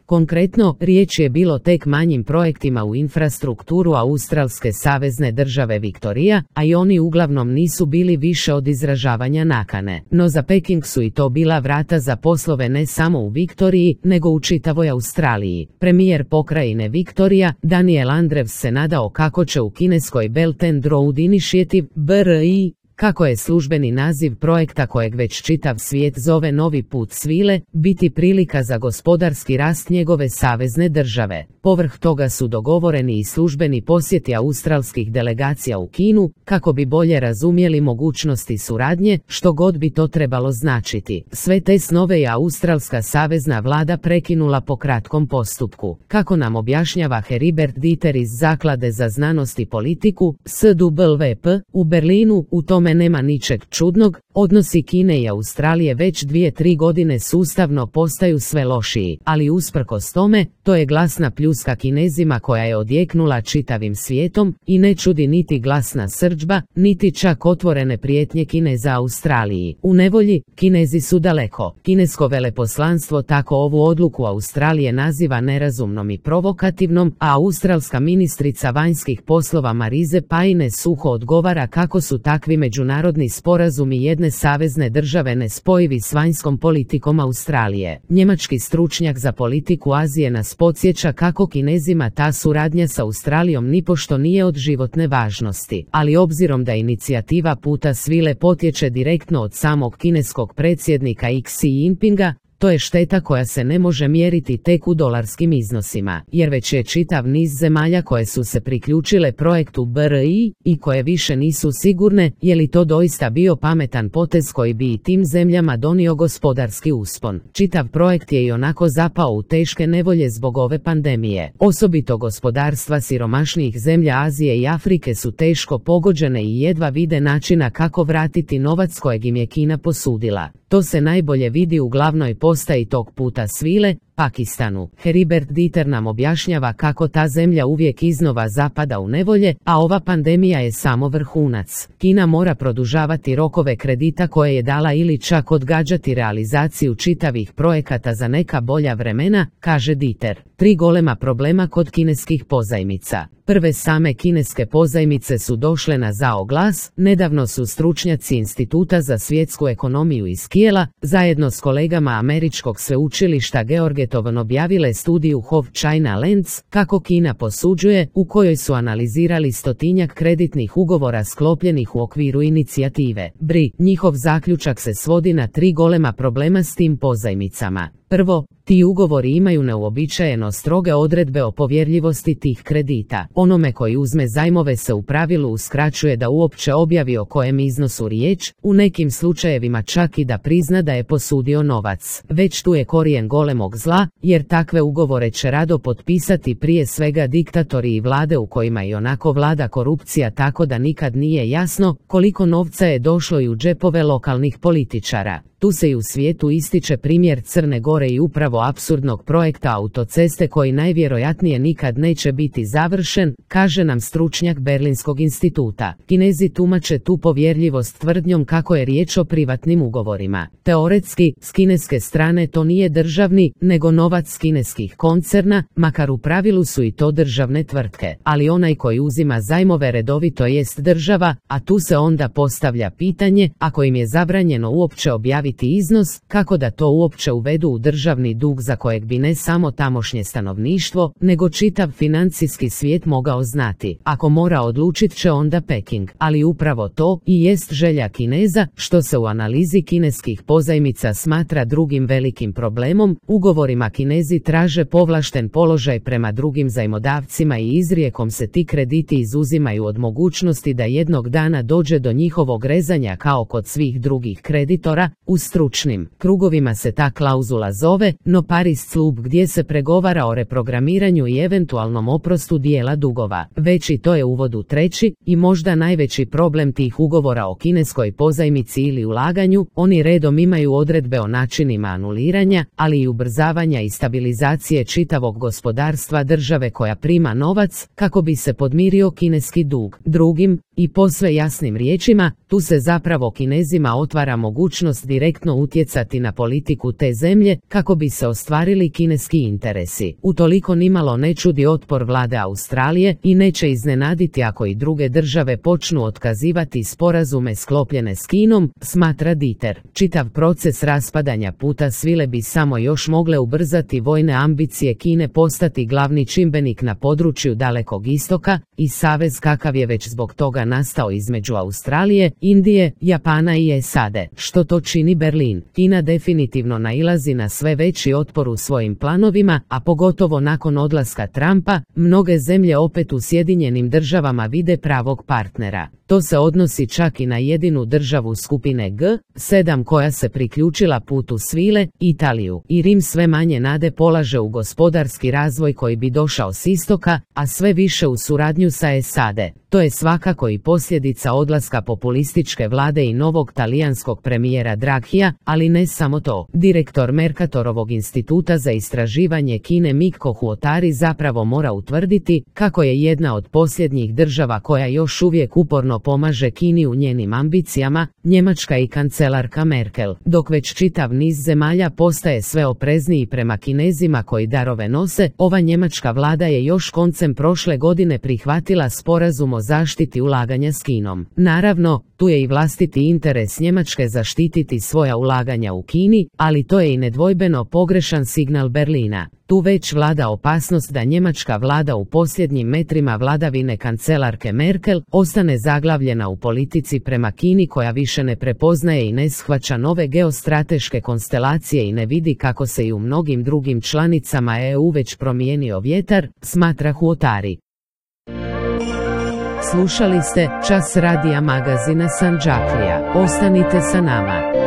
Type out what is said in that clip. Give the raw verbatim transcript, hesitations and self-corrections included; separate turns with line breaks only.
Konkretno, riječ je bilo tek manjim projektima u infrastrukturu Australske savezne države Viktorija, a i oni uglavnom nisu bili više od izražavanja nakane. No za Peking su i to bila vrata za poslove ne samo u Viktoriji, nego u čitavoj Australiji. Premijer pokrajine Viktorija, Daniel Andrews, se nadao kako će u kineskoj Belt and Road Initiative, B R I, kako je službeni naziv projekta kojeg već čitav svijet zove Novi put svile, biti prilika za gospodarski rast njegove savezne države. Povrh toga su dogovoreni i službeni posjeti australskih delegacija u Kinu, kako bi bolje razumjeli mogućnosti suradnje, što god bi to trebalo značiti. Sve te snove je australska savezna vlada prekinula po kratkom postupku. Kako nam objašnjava Heribert Dieter iz Zaklade za znanost i politiku, S W P, u Berlinu, u tome nema ničeg čudnog, odnosi Kine i Australije već dvije tri godine sustavno postaju sve lošiji, ali usprkos tome, to je glasna pljuska Kinezima koja je odjeknula čitavim svijetom i ne čudi niti glasna srdžba, niti čak otvorene prijetnje Kineza Australiji. U nevolji, Kinezi su daleko. Kinesko veleposlanstvo tako ovu odluku Australije naziva nerazumnom i provokativnom, a australska ministrica vanjskih poslova Marize Paine suho odgovara kako su takvi međunarodni sporazumi jedne savezne države nespojivi s vanjskom politikom Australije. Njemački stručnjak za politiku Azije nas podsjeća kako Kinezima ta suradnja s Australijom nipošto nije od životne važnosti, ali obzirom da inicijativa puta svile potječe direktno od samog kineskog predsjednika Xi Jinpinga, to je šteta koja se ne može mjeriti tek u dolarskim iznosima, jer već je čitav niz zemalja koje su se priključile projektu B R I i koje više nisu sigurne je li to doista bio pametan potez koji bi i tim zemljama donio gospodarski uspon. Čitav projekt je i onako zapao u teške nevolje zbog ove pandemije. Osobito gospodarstva siromašnijih zemlja Azije i Afrike su teško pogođene i jedva vide načina kako vratiti novac kojeg im je Kina posudila. To se najbolje vidi u glavnoj postaji tog puta svile, Pakistanu. Heribert Dieter nam objašnjava kako ta zemlja uvijek iznova zapada u nevolje, a ova pandemija je samo vrhunac. Kina mora produžavati rokove kredita koje je dala ili čak odgađati realizaciju čitavih projekata za neka bolja vremena, kaže Dieter. Tri golema problema kod kineskih pozajmica. Prve same kineske pozajmice su došle na zao glas. Nedavno su stručnjaci Instituta za svjetsku ekonomiju iz Kijela, zajedno s kolegama američkog sveučilišta Georgetown objavile studiju How China Lends, kako Kina posuđuje, u kojoj su analizirali stotinjak kreditnih ugovora sklopljenih u okviru inicijative B R I. Njihov zaključak se svodi na tri golema problema s tim pozajmicama. Prvo, ti ugovori imaju neuobičajeno stroge odredbe o povjerljivosti tih kredita. Onome koji uzme zajmove se u pravilu uskraćuje da uopće objavi o kojem iznosu riječ, u nekim slučajevima čak i da prizna da je posudio novac. Već tu je korijen golemog zla, jer takve ugovore će rado potpisati prije svega diktatori i vlade u kojima i onako vlada korupcija, tako da nikad nije jasno koliko novca je došlo i u džepove lokalnih političara. Tu se i u svijetu ističe primjer Crne Gore i upravo apsurdnog projekta autoceste koji najvjerojatnije nikad neće biti završen, kaže nam stručnjak Berlinskog instituta. Kinezi tumače tu povjerljivost tvrdnjom kako je riječ o privatnim ugovorima. Teoretski, s kineske strane to nije državni, nego novac kineskih koncerna, makar u pravilu su i to državne tvrtke. Ali onaj koji uzima zajmove redovito jest država, a tu se onda postavlja pitanje, ako im je zabranjeno uopće objaviti iznos, kako da to uopće uvedu u državni dug za kojeg bi ne samo tamošnje stanovništvo, nego čitav financijski svijet mogao znati. Ako mora odlučit će onda Peking, ali upravo to i jest želja Kineza, što se u analizi kineskih pozajmica smatra drugim velikim problemom. Ugovorima Kinezi traže povlašten položaj prema drugim zajmodavcima i izrijekom se ti krediti izuzimaju od mogućnosti da jednog dana dođe do njihovog rezanja kao kod svih drugih kreditora. U stručnim krugovima se ta klauzula zove no paris club, gdje se pregovara o reprogramiranju i eventualnom oprostu dijela dugova. Već i to je uvod u treći i možda najveći problem tih ugovora o kineskoj pozajmici ili ulaganju. Oni redom imaju odredbe o načinima anuliranja, ali i ubrzavanja i stabilizacije čitavog gospodarstva države koja prima novac kako bi se podmirio kineski dug. Drugim, I posve jasnim riječima, tu se zapravo Kinezima otvara mogućnost direktno utjecati na politiku te zemlje kako bi se ostvarili kineski interesi. Utoliko nimalo ne čudi otpor vlade Australije i neće iznenaditi ako i druge države počnu otkazivati sporazume sklopljene s Kinom, smatra Dieter. Čitav proces raspadanja puta svile bi samo još mogle ubrzati vojne ambicije Kine postati glavni čimbenik na području Dalekog istoka i savez kakav je već zbog toga nastao između Australije, Indije, Japana i S A D. Što to čini Berlin? Kina definitivno nailazi na sve veći otpor u svojim planovima, a pogotovo nakon odlaska Trumpa, mnoge zemlje opet u Sjedinjenim državama vide pravog partnera. To se odnosi čak i na jedinu državu skupine G sedam koja se priključila putu svile, Italiju. I Rim sve manje nade polaže u gospodarski razvoj koji bi došao s istoka, a sve više u suradnju sa S A D. To je svakako i posljedica odlaska populističke vlade i novog talijanskog premijera Draghija, ali ne samo to. Direktor Mercatorovog instituta za istraživanje Kine Mikko Huotari zapravo mora utvrditi kako je jedna od posljednjih država koja još uvijek uporno pomaže Kini u njenim ambicijama, Njemačka i kancelarka Merkel, dok već čitav niz zemalja postaje sve oprezniji prema Kinezima koji darove nose. Ova njemačka vlada je još koncem prošle godine prihvatila sporazum o zaštiti ulaganja s Kinom. Naravno, tu je i vlastiti interes Njemačke zaštititi svoja ulaganja u Kini, ali to je i nedvojbeno pogrešan signal Berlina. Tu već vlada opasnost da njemačka vlada u posljednjim metrima vladavine kancelarke Merkel ostane zaglavljena u politici prema Kini koja više ne prepoznaje i ne shvaća nove geostrateške konstelacije i ne vidi kako se i u mnogim drugim članicama E U već promijenio vjetar, smatra Huotari. Slušali ste Čas radija magazina Sandžaklija. Ostanite sa nama.